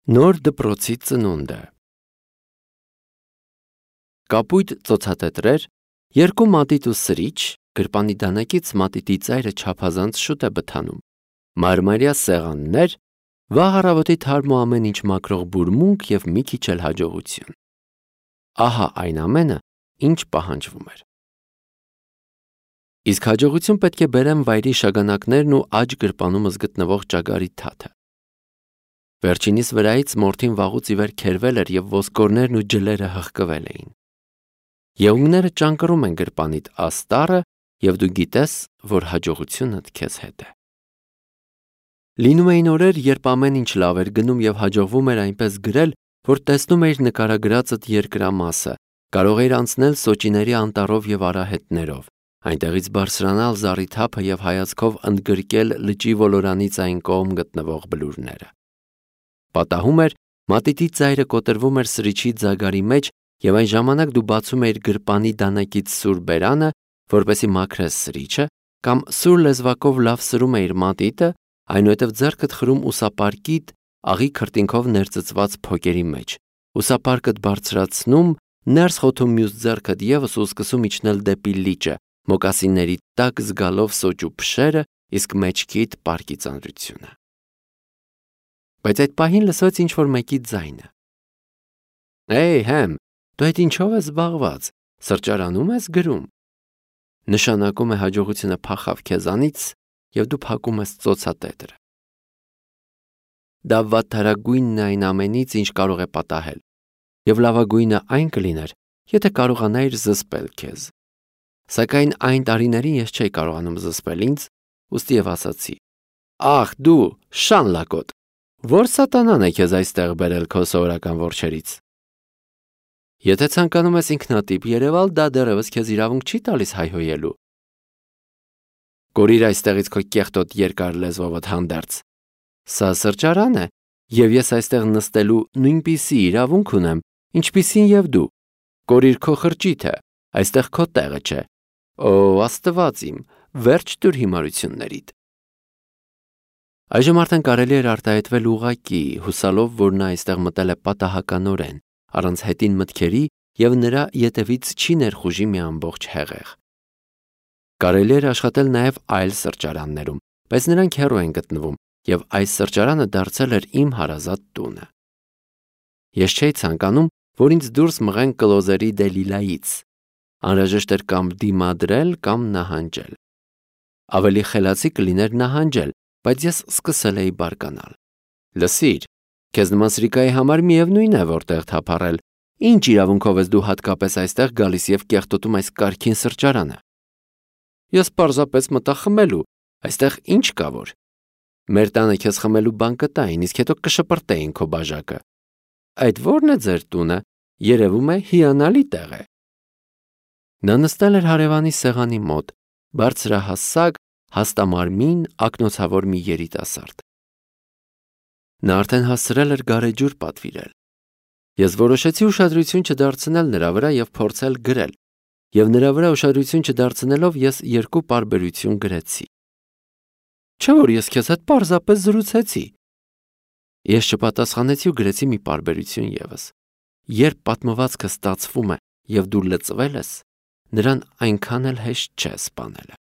Նոր դպրոցի ծնունդը։ Կապույտ ծոցատետրեր, երկու մատիտ ու սրիչ, գրպանի դանակից մատիտի ծայրը չափազանց շուտ է բթանում, մարմարյա սեղաններ, վաղ առավոտի թարմ ու ամեն ինչ մաքրող բուրմունք և մի քիչ էլ հաջողություն։ Ահա այն ամենը, ինչ պահանջվում էր։ Իսկ հաջողություն պետք է բերեն վայրի շագանակներն ու աջ գրպանումս գտնվող ճագարի թաթը։ Վերջինիս վրայից մորթին վաղուց ի վեր քերվել էր և ոսկորներն ու ջլերը հղկվել էին։ Եղունգները ճանկռում են գրպանիդ աստառը և դու գիտես, որ հաջողությունդ քեզ հետ է։ Լինում էին օրեր, երբ ամեն ինչ լավ էր գնում և հաջողվում էր այնպես գրել, որ տեսնում էիր նկարագրածդ երկրամասը, կարող էիր անցնել սոճիների անտառով և արահետներով, այնտեղից բարձրանալ զառիթափը և հայացքով ընդգրկել լճի ոլորանից այն կողմ գտնվող բլուրները։ Պատահում էր, մատիտի ծայրը կոտրվում էր սրիչի ձագարի մեջ և այն ժամանակ դու բացում էիր գրպանի դանակից սուր բերանը, որպեսզի մաքրես սրիչը, կամ սուր լեզվակով լավ սրում էիր մատիտը, այնուհետև ձեռքդ խրում ուսապարկիդ աղի քրտինքով ներծծված փոկերի մեջ, ուսապարկդ բարձրացնում, ներս խոթում մյուս ձեռքդ ևս ու սկսում իջնել դեպի լիճը, մոկասինների տակ զգալով սոճու փշերը, իսկ մեջքիդ պարկի ծանրությունը։ Բայց այդ պահին լսվեց ինչ-որ մեկի ձայնը. «Էյ, Հեմ, դու այդ ինչով ես զբաղված, սրճարանում ես գրում»։ Նշանակում է հաջողությունը փախավ քեզանից և դու փակում ես ծոցատետրը։ Դա վատթարագույնն է այն ամենից, ինչ կարող է պատահել, և լավագույնը այն կլիներ, եթե կարողանայիր զսպել քեզ։ Սակայն այն տարիներին ես չէի կարողանում զսպել ինձ, ուստի և ասացի. «Ախ, դու, շան լակոտ, ո՞ր սատանան է քեզ այստեղ բերել քո սովորական որջերից»։ Եթե ցանկանում ես ինքնատիպ երևալ, դա դեռևս քեզ իրավունք չի տալիս հայհոյելու։ Կորիր այստեղից քո կեղտոտ երկար լեզվովդ հանդերձ։ Սա սրճարան է, և ես այստեղ նստելու նույնպիսի իրավունք ունեմ, ինչպիսին և դու։ Կորիր քո խրճիթը, այստեղ քո տեղը չէ։ Օ, Աստված իմ, վերջ տուր հիմարություններիդ։ Այժմ արդեն կարելի էր արտահայտվել ուղղակի, հուսալով, որ նա այստեղ մտել է պատահականորեն, առանց հետին մտքերի և նրա ետևից չի ներխուժի մի ամբողջ հեղեղ։ Կարելի էր աշխատել նաև այլ սրճարաններում, բայց նրանք հեռու են գտնվում, և այս սրճարանը դարձել էր իմ հարազատ տունը։ Ես չէի ցանկանում, որ ինձ դուրս մղեն Կլոզերի Դելիլայից։ Անհրաժեշտ էր կամ դիմադրել, կամ նահանջել։ Ավելի խելացի կլիներ նահանջել, բայց ես սկսել էի բարկանալ։ Լսիր, քեզ նման սրիկայի համար միևնույն է, որտեղ թափառել, ինչ իրավունքով ես դու հատկապես այստեղ գալիս և կեղտոտում այս կարգին սրճարանը։ Ես պարզապես մտա խմելու, այստեղ ինչ կա որ։ Մեր տանը քեզ խմելու բան կտային, իսկ հետո կշպրտեին քո բաժակը։ Այդ ո՞րն է ձեր տունը, երևում է հիանալի տեղ է։ Նա նստել էր հարևանի սեղանի մոտ, բարձրահասակ, հաստամարմին, ակնոցավոր մի երիտասարդ։ Նա արդեն հասցրել էր գարեջուր պատվիրել։ Ես որոշեցի ուշադրություն չդարձնել նրա վրա և փորձել գրել, և նրա վրա ուշադրություն չդարձնելով ես երկու պարբերություն գրեցի։ Չէ՞ որ ես քեզ հետ պարզապես զրուցեցի։ Ես չպատասխանեցի ու գրեցի մի պարբերություն ևս։ Երբ պատմվածքը ստացվում է և դու լծվել ես, նրան այնքան էլ հեշտ չէ սպանելը։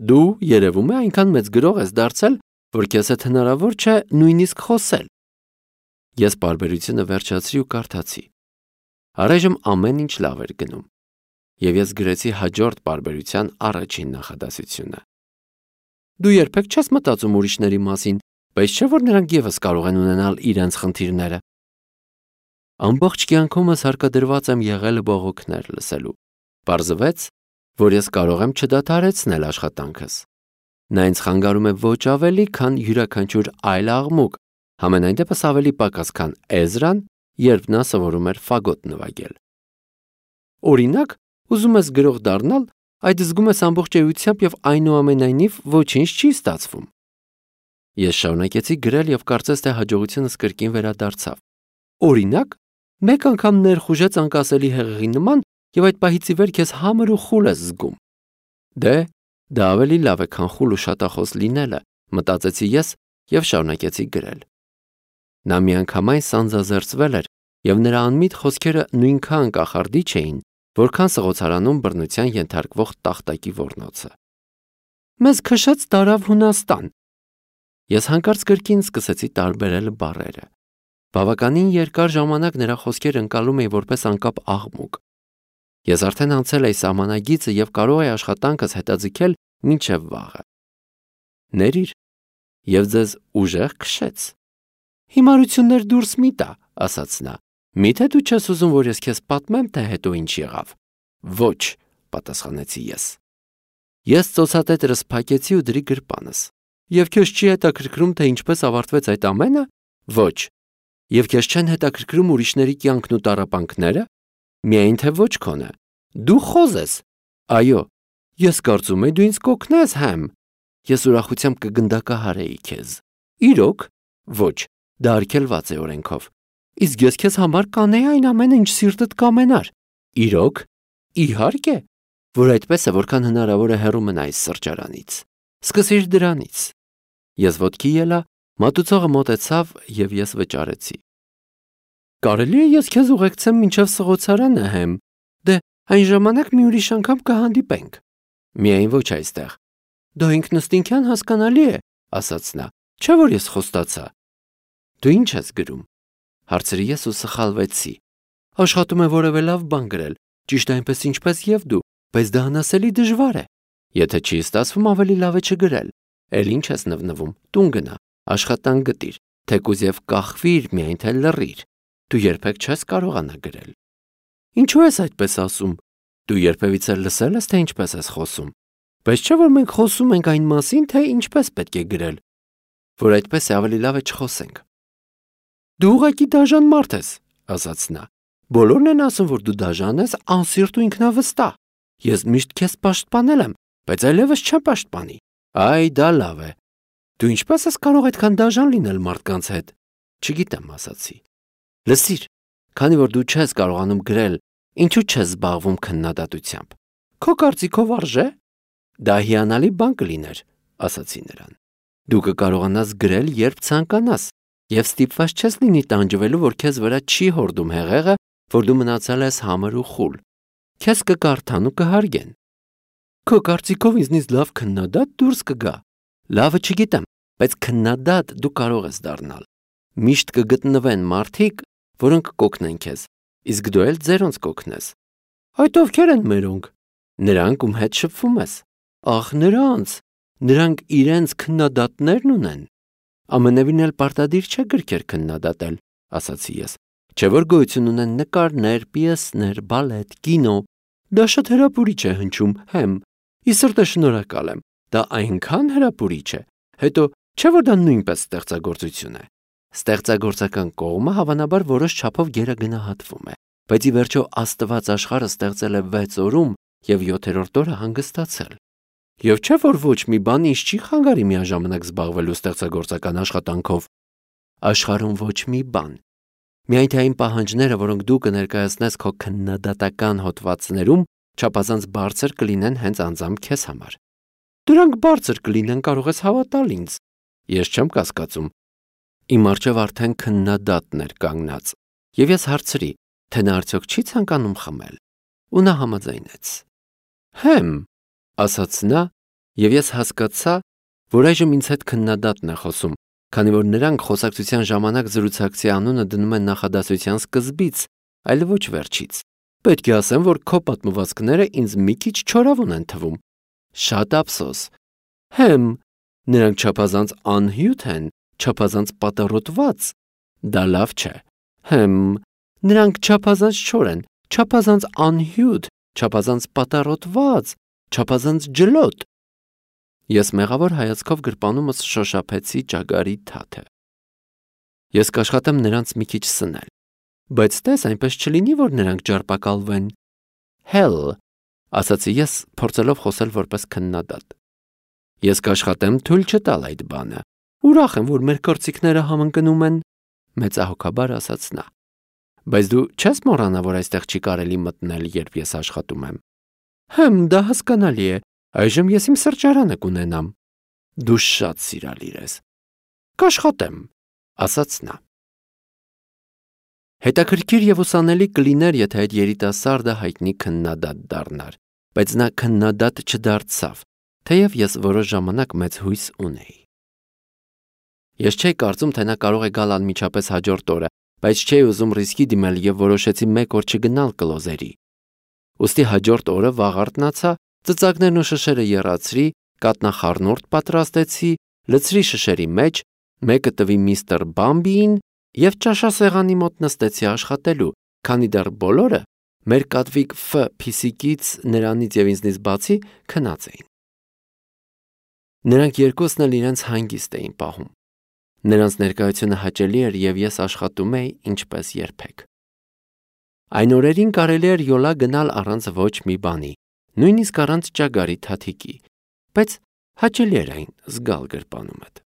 Դու, երևում է, այնքան մեծ գրող ես դարձել, որ քեզ հետ հնարավոր չէ նույնիսկ խոսել։ Ես պարբերությունը վերջացրի ու կարդացի։ Առայժմ ամեն ինչ լավ էր գնում, և ես գրեցի հաջորդ պարբերության առաջին նախադասությունը։ Դու երբեք չես մտածում ուրիշների մասին, բայց չէ՞ որ նրանք ևս կարող են ունենալ իրենց խնդիրները։ Ամբողջ կյանքումս հարկադրված եմ եղել բողոքներ լսելու։ Պարզվեց, որ ես կարող եմ չդադարեցնել աշխատանքս։ Նա ինձ խանգարում է ոչ ավելի, քան յուրաքանչյուր այլ աղմուկ, համենայն դեպս ավելի պակաս, քան Էզրան, երբ նա սովորում էր ֆագոտ նվագել։ Օրինակ, ուզում ես գրող դառնալ, այդ զգում ես ամբողջ էությամբ և այնուամենայնիվ ոչինչ չի ստացվում։ Ես շարունակեցի գրել և կարծես թե հաջողությունս կրկին վերադարձավ։ Օրինակ, մեկ անգամ ներխուժեց անկասելի հեղեղի նման և այդ պահից ի վեր քեզ համր ու խուլ ես զգում։ Դե, դա ավելի լավ է, քան խուլ ու շատախոս լինելը, մտածեցի ես և շարունակեցի գրել։ Նա միանգամայն սանձազերծվել էր, եւ նրա անմիտ խոսքերը նույնքան կախարդիչ էին, որքան սղոցարանում բռնության ենթարկվող տախտակի ոռնոցը։ Մեզ քշեց տարավ Հունաստան։ Ես հանկարծ կրկին սկսեցի տարբերել բառերը։ Բավականին երկար ժամանակ նրա խոսքերը ընկալում էի որպես անկապ աղմուկ։ Ես արդեն անցել էի սահմանագիծը եւ կարող էի աշխատանքս հետաձգել մինչև վաղը։ Ներիր, եւ ձեզ ուժեղ քշեց։ Հիմարություններ դուրս մի տա, ասաց նա։ Միթե դու չես ուզում, որ ես քեզ պատմեմ, թե հետո ինչ եղավ։ Ոչ, պատասխանեցի ես։ Ես ծոցատետրս փակեցի ու դրի գրպանս։ Եվ քեզ չի հետաքրքրում, թե ինչպես ավարտվեց այդ ամենը։ Ոչ։ Եվ քեզ չեն հետաքրքրում ուրիշների կյանքն ու տառապանքները։ Միայն թե ոչ քոնը։ Դու խոզ ես։ Այո, ես կարծում եմ դու ինձ կօգնես, հեմ։ Ես ուրախությամբ կգնդակահարեի քեզ։ Իրոք։ Ոչ, դա արգելված է օրենքով։ Իսկ ես քեզ համար կանեի այն ամենը, ինչ սիրտդ կամենար։ Իրոք։ Իհարկե, որ այդպես է, որքան հնարավոր է հեռու մնա այս սրճարանից։ Սկսիր դրանից։ Ես ոտքի ելա, մատուցողը մոտեցավ եւ ես վճարեցի։ Կարելի է ես քեզ ուղեկցեմ մինչև սղոցարանը, հեմ։ Դե այն ժամանակ մի ուրիշ անգամ կհանդիպենք։ Միայն ոչ այստեղ։ Դա ինքնըստինքյան հասկանալի է, ասաց նա։ Չէ՞ որ ես խոստացա։ Դու ինչ ես գրում։ Հարցրի ես ու սխալվեցի։ Աշխատում եմ որևէ լավ բան գրել, ճիշտ այնպես ինչպես եւ դու, բայց դա անասելի դժվար է։ Եթե չի ստացվում, ավելի լավ է չգրել։ Էլ ինչ ես նվնվում, տուն գնա, աշխատանք գտիր, թեկուզ եւ կախվիր, միայն թե լռիր։ Դու երբեք չես կարողանա գրել։ Ինչու ես այդպես ասում։ Դու երբևիցե լսել ես, թե ինչպես ես խոսում։ Բայց չէ՞ որ մենք խոսում ենք այն մասին, թե ինչպես պետք է գրել։ Որ այդպես է ավելի լավ է չխոսենք։ Դու ուղղակի դաժան մարդ ես, ասաց նա։ Բոլորն են ասում, որ դու դաժան ես, անսիրտ ու ինքնավստահ։ Ես միշտ քեզ պաշտպանել եմ, բայց այլևս չեմ պաշտպանի։ Այ դա լավ է։ Դու ինչպես ես կարող այդքան դաժան լինել մարդկանց հետ։ Չգիտեմ, ասացի։ Լսիր, քանի որ դու չես կարողանում գրել, ինչու չես զբաղվում քննադատությամբ։ Քո կարծիքով արժե։ Դա հիանալի բան կլիներ, ասացի նրան։ Դու կկարողանաս գրել, երբ ցանկանաս, եւ ստիպված չես լինի տանջվելու, որ քեզ վրա չի հորդում հեղեղը, որ դու մնացել ես համր ու խուլ։ Քեզ կկարդան ու կհարգեն։ Քո կարծիքով ինձնից լավ քննադատ դուրս կգա։ Լավը չգիտեմ, բայց քննադատ դու կարող ես դառնալ։ Միշտ կգտնվեն մարդիկ, որոնք կօգնեն քեզ, իսկ դու էլ ձերոնց կօգնես։ Այդ ովքեր են մերոնք։ Նրանք, ում հետ շփվում ես։ Ախ, նրանք իրենց քննադատներն ունեն։ Ամենևին էլ պարտադիր չէ գրքեր քննադատել, ասացի ես։ Չէ՞ որ գոյություն ունեն նկարներ, պիեսներ, բալետ, կինո։ Դա շատ հրապուրիչ է հնչում, հեմ։ Ի սրտե շնորհակալ եմ։ Դա այնքան հրապուրիչ է։ Հետո չէ՞ որ դա նույնպես ստեղծագործություն է։ Ստեղծագործական կողմը հավանաբար որոշ չափով գերագնահատվում է, բայց ի վերջո Աստված աշխարհը ստեղծել է 6 օրում եւ 7-րդ օրը հանգստացել։ Եվ չէ՞ որ ոչ մի բան ինձ չի խանգարի միաժամանակ զբաղվելու ստեղծագործական աշխատանքով։ Աշխարհում ոչ մի բան։ Միայն թե այն պահանջները, որոնք դու կներկայացնես քո քննադատական հոդվածներում, չափազանց բարձր կլինեն հենց անձամբ քեզ համար։ Դրանք բարձր կլինեն, կարող ես հավատալ ինձ։ Ես չեմ կասկածում։ Իմ առջև արդեն քննադատն էր կանգնած, եւ ես հարցրի, թե նա արդյոք չի ցանկանում խմել, ու նա համաձայնեց։ Հեմ, ասաց նա, եւ ես հասկացա, որ այժմ ինձ հետ քննադատն է խոսում, քանի որ նրանք խոսակցության ժամանակ զրուցակցի անունը դնում են նախադասության սկզբից, այլ ոչ վերջից։ Պետք է ասեմ, որ քո պատմվածքները ինձ մի քիչ չորավուն են թվում։ Շատ ափսոս։ Հեմ, նրանք չափազանց անհյութ են, չափազանց պատառոտված։ Դա լավ չէ։ Հեմ, նրանք չափազանց չոր են, չափազանց անհյութ, չափազանց պատառոտված, չափազանց ջլոտ։ Ես մեղավոր հայացքով գրպանումս շոշափեցի ճագարի թաթը։ Ես կաշխատեմ նրանց մի քիչ սնել, բայց տես այնպես չլինի, որ նրանք ջարպակալվեն։ Հել, ասացի ես, փորձելով խոսել որպես քննադատ։ Ես կաշխատեմ թույլ չտալ այդ բանը։ Ուրախ եմ, որ մեր կարծիքները համընկնում են, մեծահոգաբար ասաց նա։ Բայց դու չես մոռանա, որ այստեղ չի կարելի մտնել, երբ ես աշխատում եմ։ Հմ, դա հասկանալի է։ Այժմ ես իմ սրճարանը կունենամ։ Դու շատ սիրալիր ես։ Կաշխատեմ, ասաց նա։ Հետաքրքիր եւ ուսանելի կլիներ, եթե այդ երիտասարդը հայտնի քննադատ դառնար, բայց նա քննադատ չդարձավ, թեև ես որոշ ժամանակ մեծ հույս ունեի։ Ես չէի կարծում, թե նա կարող է գալ անմիջապես հաջորդ օրը, բայց չէի ուզում ռիսկի դիմել եւ որոշեցի մեկ օր չգնալ կլոզերի։ Ուստի հաջորդ օրը վաղ արթնացա, ծծակներն ու շշերը եռացրի, կատնախառնուրդ պատրաստեցի, լցրի շշերի մեջ, մեկը տվի միստր Բամբիին եւ ճաշասեղանի մոտ նստեցի աշխատելու, քանի դեռ բոլորը մեր կատվիկ Ֆ փիսիկից, նրանից եւ ինձնից բացի քնած էին։ Նրանք երկուսն էլ իրենց հանգիստ էին պահում։ Նրանց ներկայությունը հաճելի էր եւ ես աշխատում էի ինչպես երբեք։ Այն օրերին կարելի էր յոլա գնալ առանց ոչ մի բանի, նույնիսկ առանց ճագարի թաթիկի, բայց հաճելի էր այն զգալ գրպանումդ։